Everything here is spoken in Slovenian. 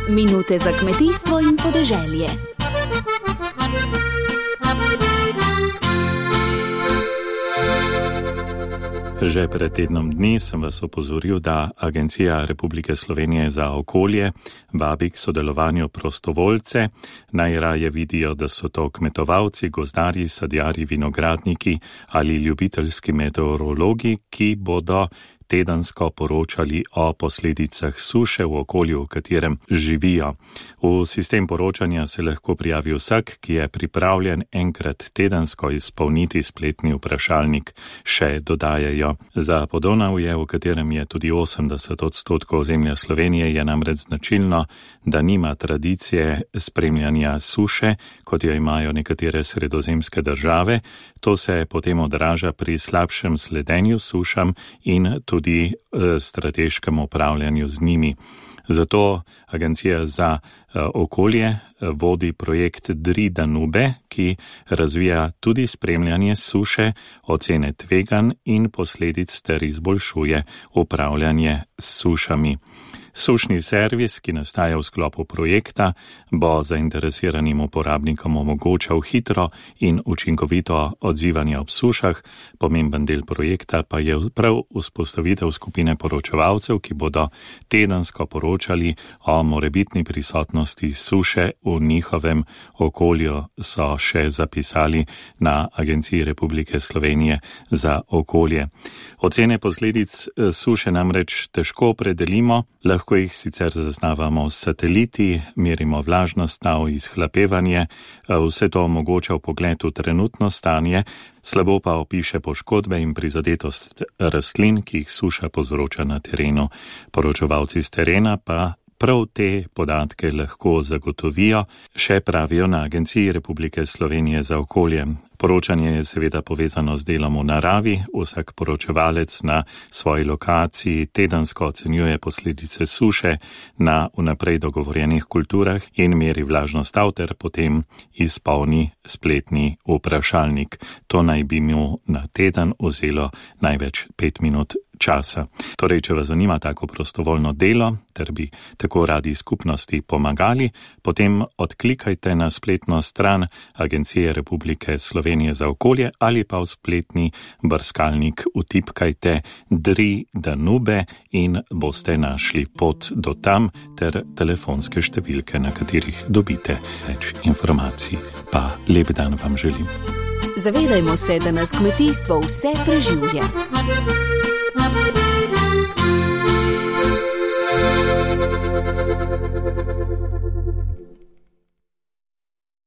Minute za kmetijstvo in podeželje. Že pred tednom dni sem vas opozoril, da Agencija Republike Slovenije za okolje vabi k sodelovanju prostovoljce. Najraje vidijo, da so to kmetovalci, gozdarji, sadjarji, vinogradniki ali ljubiteljski meteorologi, ki bodo tedensko poročali o posledicah suše v okolju, v katerem živijo. V sistem poročanja se lahko prijavi vsak, ki je pripravljen enkrat tedensko izpolniti spletni vprašalnik, še dodajajo. Za Podonavje, v katerem je tudi 80% ozemlja Slovenije, je namreč značilno, da nima tradicije spremljanja suše, kot jo imajo nekatere sredozemske države. To se potem odraža pri slabšem sledenju sušam in tudi strateškem upravljanju z njimi. Zato Agencija za okolje vodi projekt DRI Danube, ki razvija tudi spremljanje suše, ocene tveganj in posledic ter izboljšuje upravljanje s sušami. Sušni servis, ki nastaja v sklopu projekta, bo zainteresiranim uporabnikom omogočal hitro in učinkovito odzivanje ob sušah. Pomemben del projekta pa je prav vzpostavitev skupine poročevalcev, ki bodo tedensko poročali o morebitni prisotnosti suše v njihovem okolju, so še zapisali na Agenciji Republike Slovenije za okolje. Ocene posledic suše namreč težko opredelimo, lahko jih sicer zaznavamo s sateliti, merimo vlažnost tal, izhlapevanje, vse to omogoča vpogled v trenutno stanje, slabo pa opiše poškodbe in prizadetost rastlin, ki jih suša povzroča na terenu. Poročevalci z terena pa prav te podatke lahko zagotovijo, še pravijo na Agenciji Republike Slovenije za okolje. Poročanje je seveda povezano z delom v naravi, vsak poročevalec na svoji lokaciji tedensko ocenjuje posledice suše na vnaprej dogovorjenih kulturah in meri vlažnost tal ter potem izpolni spletni vprašalnik. To naj bi mu na teden vzelo največ 5 minut časa. Torej, če vas zanima tako prostovoljno delo, ter bi tako radi skupnosti pomagali, potem odklikajte na spletno stran Agencije Republike Slovenije za okolje ali pa v spletni brskalnik vtipkajte DRI Danube in boste našli pot do tam ter telefonske številke, na katerih dobite več informacij. Pa lep dan vam želim. Zavedajmo se, da nas kmetijstvo vse preživlja.